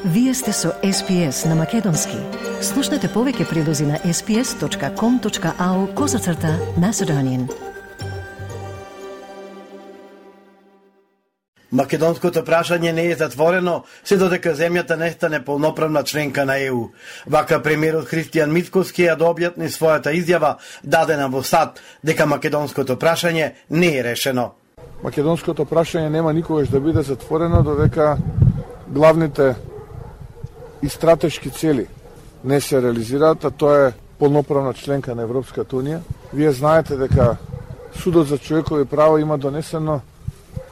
Вие сте со SPS на Македонски. Слушнете повеќе прилози на sps.com.au/Macedonian. Македонското прашање не е затворено се додека земјата не стане полноправна членка на ЕУ. Вака премиерот Христијан Мицкоски ја објасни својата изјава дадена во САД дека македонското прашање не е решено. Македонското прашање нема никогаш да биде затворено додека главните и стратешки цели не се реализираат, а тоа е полноправна членка на Европската Унија. Вие знаете дека Судот за човекови права има донесено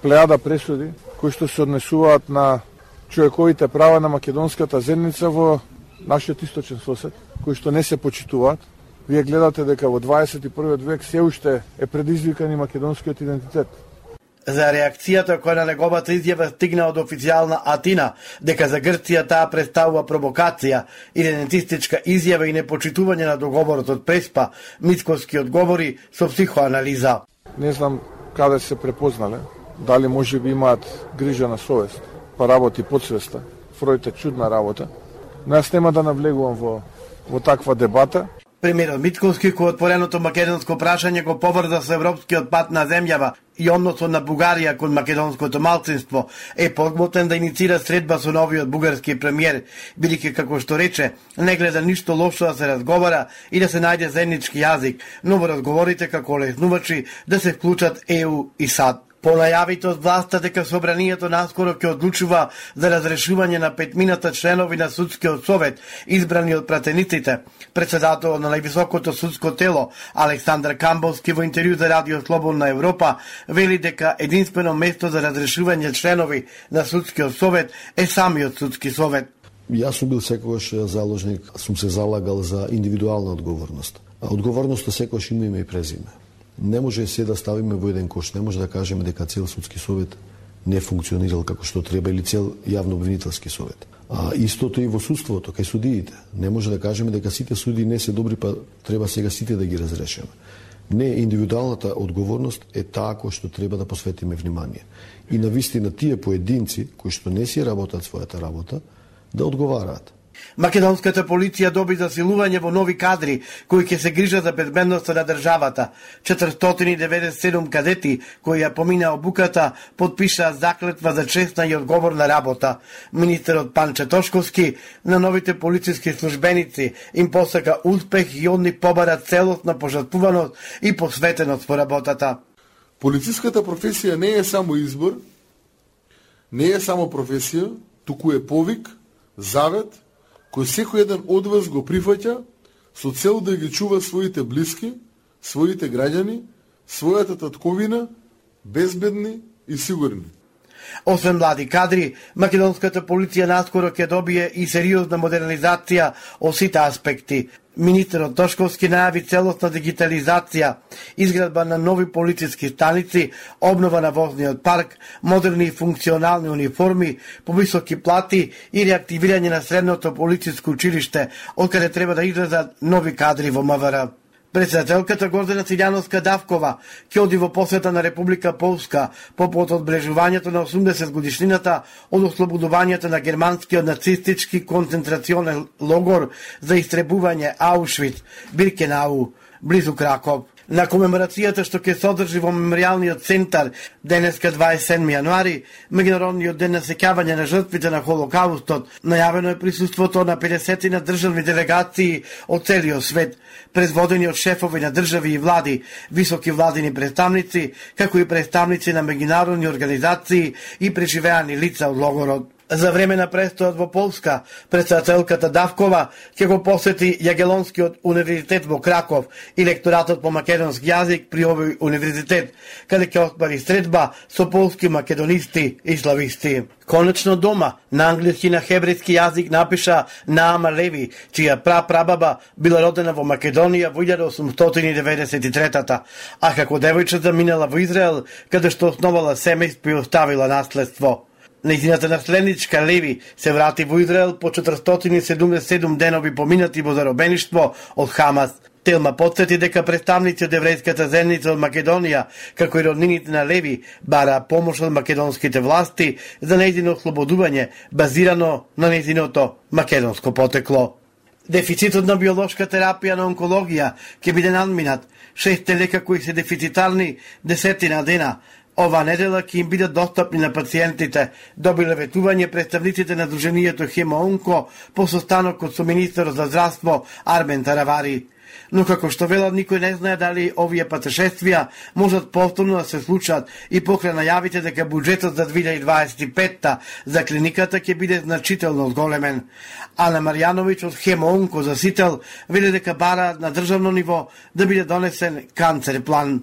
плејада пресуди кои што се однесуваат на човековите права на македонската заедница во нашиот источен сосед, кои што не се почитуваат. Вие гледате дека во 21. век се уште е предизвикан и македонскиот идентитет. За реакцијата која на неговата изјава стигна од официјална Атина, дека за Грција таа представува провокација, идентистичка изјава и непочитување на договорот од Преспа, Мицкоски одговори со психоанализа. Не знам каде се препознале, дали може би имаат грижа на совест, па работи подсвеста, Фројд е чудна работа, но јас нема да навлегувам во таква дебата. Премиерот Мицкоски кој отвореното македонско прашање го поврза со европскиот пат на земјава и односот на Бугарија кон македонското малцинство е подготвен да иницира средба со новиот бугарски премиер, бидејќи како што рече, не гледа ништо лошо да се разговара и да се најде заеднички јазик, но во разговорите како леснувачи да се вклучат ЕУ и САД. По најавите од власта дека собранието наскоро ќе одлучува за разрешување на петмината членови на судскиот совет, избрани од пратениците, председателот на највисокото судско тело, Александар Камбовски, во интервју за Радио Слободна Европа, вели дека единствено место за разрешување членови на судскиот совет е самиот судски совет. Јас сум бил секогаш заложник, сум се залагал за индивидуална одговорност. А одговорноста секогаш има име и презиме. Не може се да ставиме во еден кош, не може да кажеме дека цел судски совет не функционирал како што треба или цел јавно обвинителски совет. А истото и во судството, кај судиите. Не може да кажеме дека сите суди не се добри, па треба сега сите да ги разрешиме. Не, индивидуалната одговорност е таа која што треба да посветиме внимание. И навистина тие поединци кои што не си работат својата работа, да одговараат. Македонската полиција доби засилување во нови кадри кои ќе се грижат за безбедноста на државата. 497 кадети кои ја помина обуката потпишаа заклетва за честна и одговорна работа. Министерот Панче Тошковски на новите полициски службеници им посака успех и од нив побара целосна пожртвуваност и посветеност во работата. Полициската професија не е само избор, не е само професија, туку е повик, завет, кој секој еден од вас го прифаќа со цел да ги чува своите блиски, своите граѓани, својата татковина, безбедни и сигурни. Освен млади кадри, македонската полиција наскоро ќе добие и сериозна модернизација од сите аспекти. Министерот Тошковски најави целосна дигитализација, изградба на нови полициски станици, обнова на возниот парк, модерни и функционални униформи, повисоки плати и реактивирање на средното полициско училиште, од каде треба да излезат нови кадри во МВР. Председателката Гордана Циљановска-Давкова ќе оди во посета на Република Полска попод одбележувањето на 80 годишнината од ослободувањето на германскиот нацистички концентрационен логор за истребување Аушвиц, Биркенау, близу Краков. На комеморацијата што ќе се одржи во меморијалниот центар денеска 27 јануари, меѓународниот ден на сеќавање на жртвите на Холокаустот, најавено е присуството на 50 на државни делегации од целиот свет, предводени од шефови на држави и влади, високи владини представници, како и представници на меѓународни организации и преживеани лица од логорот. За време на престојот во Полска, председателката Давкова ќе го посети Јагелонскиот универзитет во Краков и лекторатот по македонски јазик при овој универзитет, каде ќе оствари средба со полски македонисти и слависти. Конечно дома, на англиски и на хебрејски јазик напиша Наама Леви, чија прапрабаба била родена во Македонија во 1893-та, а како девојче заминала во Израел, каде што основала семејство и оставила наследство. Нејзината наследничка Леви се врати во Израел по 477 денови поминати во заробеништво од Хамас. Телма потсети дека представници од еврејската заедница од Македонија, како и роднините на Леви, бара помош од македонските власти за нејзино ослободување, базирано на нејзиното македонско потекло. Дефицитот на биолошка терапија на онкологија ќе биде надминат. 6 лека кои се дефицитарни 10 дена. Ова недела ќе им бидат достапни на пациентите, добиле ветување представниците на Друженијето Хемоонко по состанокот со министерот за здравство Арбен Таравари. Но како што велат, никој не знае дали овие патешествија можат повторно да се случат и покрај најавите дека буџетот за 2025 за клиниката ќе биде значително зголемен. Ана Марјановиќ од Хемоонко за Сител вели дека бара на државно ниво да биде донесен канцер план.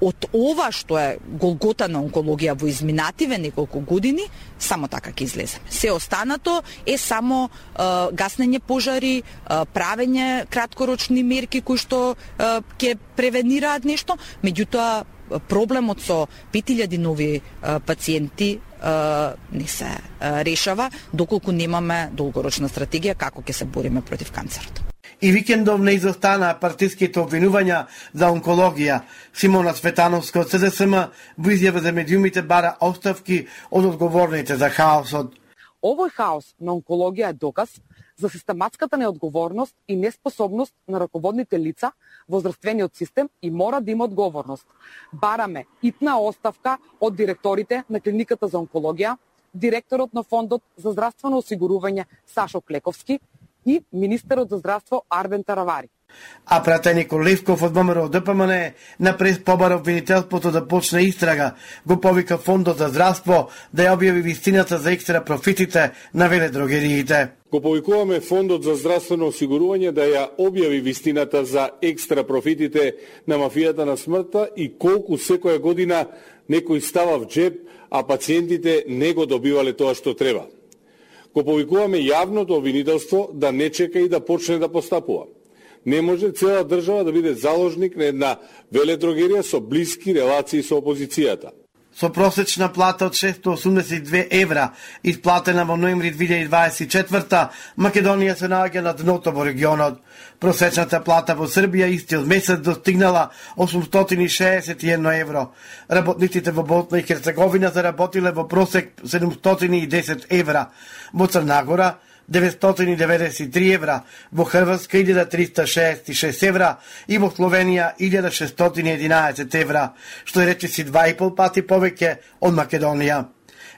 Од ова што е голгота на онкологија во изминативе неколку години, само така ќе излеземе. Се останато е само гаснење пожари, правење краткорочни мерки кои што ќе превенираат нешто, меѓутоа проблемот со 5000 нови пациенти не се решава доколку немаме долгорочна стратегија како ќе се бориме против канцерот. И викендов не изостана партиските обвинувања за онкологија. Симона Цветановска од СДСМ во изјава за медиумите бара оставки од одговорните за хаосот. Овој хаос на онкологија е доказ за систематската неодговорност и неспособност на раководните лица во здравствениот систем и мора да има одговорност. Бараме итна оставка од директорите на клиниката за онкологија, директорот на фондот за здравствено осигурување Сашо Клековски и министерот за здравство Арбен Таравари. А пратеникот Левков од ВМРО ДПМН на прес побара обвинителството да почне истрага, го повика фондот за здравство да ја објави вистината за екстра профитите на веледрогериите. Го повикуваме фондот за здравствено осигурување да ја објави вистината за екстра профитите на мафијата на смртта и колку секоја година некој става в джеб, а пациентите не го добивале тоа што треба. Го повикуваме јавното обвинителство да не чека и да почне да постапува. Не може цела држава да биде заложник на една веледрогерија со блиски релации со опозицијата. Со просечна плата од 682 евра, исплатена во ноември 2024, Македонија се наоѓа на дното во регионот. Просечната плата во Србија истиот месец достигнала 861 евро. Работниците во Босна и Херцеговина заработиле во просек 710 евра. Во Црна Гора 993 евра, во Хрватска 1366 евра и во Словенија 1611 евра, што е речиси 2,5 пати повеќе од Македонија.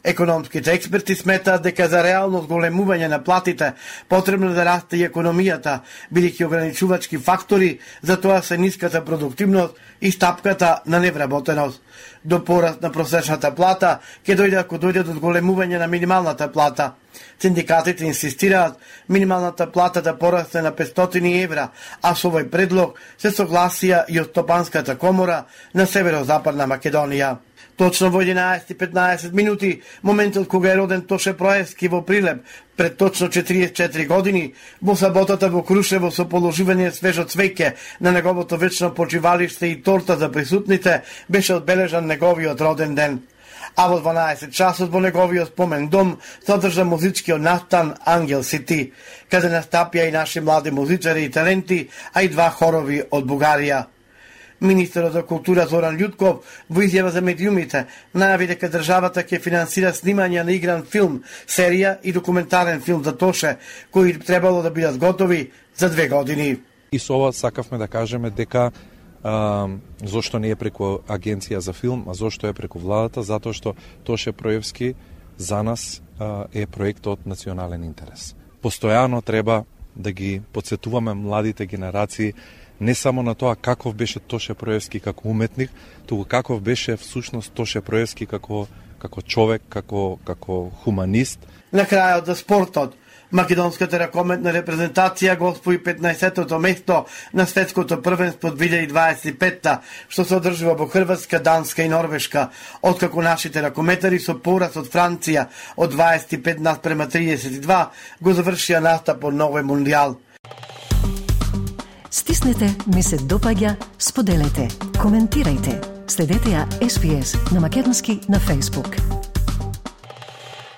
Економските експерти сметаат дека за реално зголемување на платите потребно да расте и економијата, бидејќи ограничувачки фактори за тоа се ниската продуктивност и стапката на невработеност. До пораст на просечната плата ќе дојде ако дојде до зголемување на минималната плата. Синдикатите инсистираат минималната плата да порасне на 500 евра, а со овој предлог се согласија и од Стопанската комора на Северозападна Македонија. Точно во 11:15 минути, моментот кога е роден Тоше Проевски во Прилеп, пред точно 44 години, во саботата во Крушево со положување свежо цвеќе на неговото вечно почивалиште и торта за присутните, беше одбележан неговиот роден ден. А во 12 часот во неговиот спомен дом содржа музичкиот настан Ангел Сити, каде настапија и наши млади музичари и таленти, а и 2 хорови од Бугарија. Министерот за култура Зоран Љутков во изјава за медиумите најави дека државата ќе финансира снимање на игран филм, серија и документарен филм за Тоше, кои требало да бидат готови за 2 години. И со ова сакавме да кажеме дека зошто не е преку агенција за филм, а зошто е преку владата, затоа што Тоше Проевски за нас е проект од национален интерес. Постојано треба да ги потсетуваме младите генерации не само на тоа каков беше Тоше Проевски како уметник, туку каков беше всушност Тоше Проевски како човек, како хуманист. На крајот за спортот, македонската ракометна репрезентација го освои 15-тото место на светското првенство 2025, што се одржува во Хрватска, Данска и Норвешка, откако нашите ракометари со пораз од Франција од 25:32 го завршија настапот на овој мундијал. Стиснете, ми се допаѓа, споделете, коментирајте. Следете ја SPS на македонски на Facebook.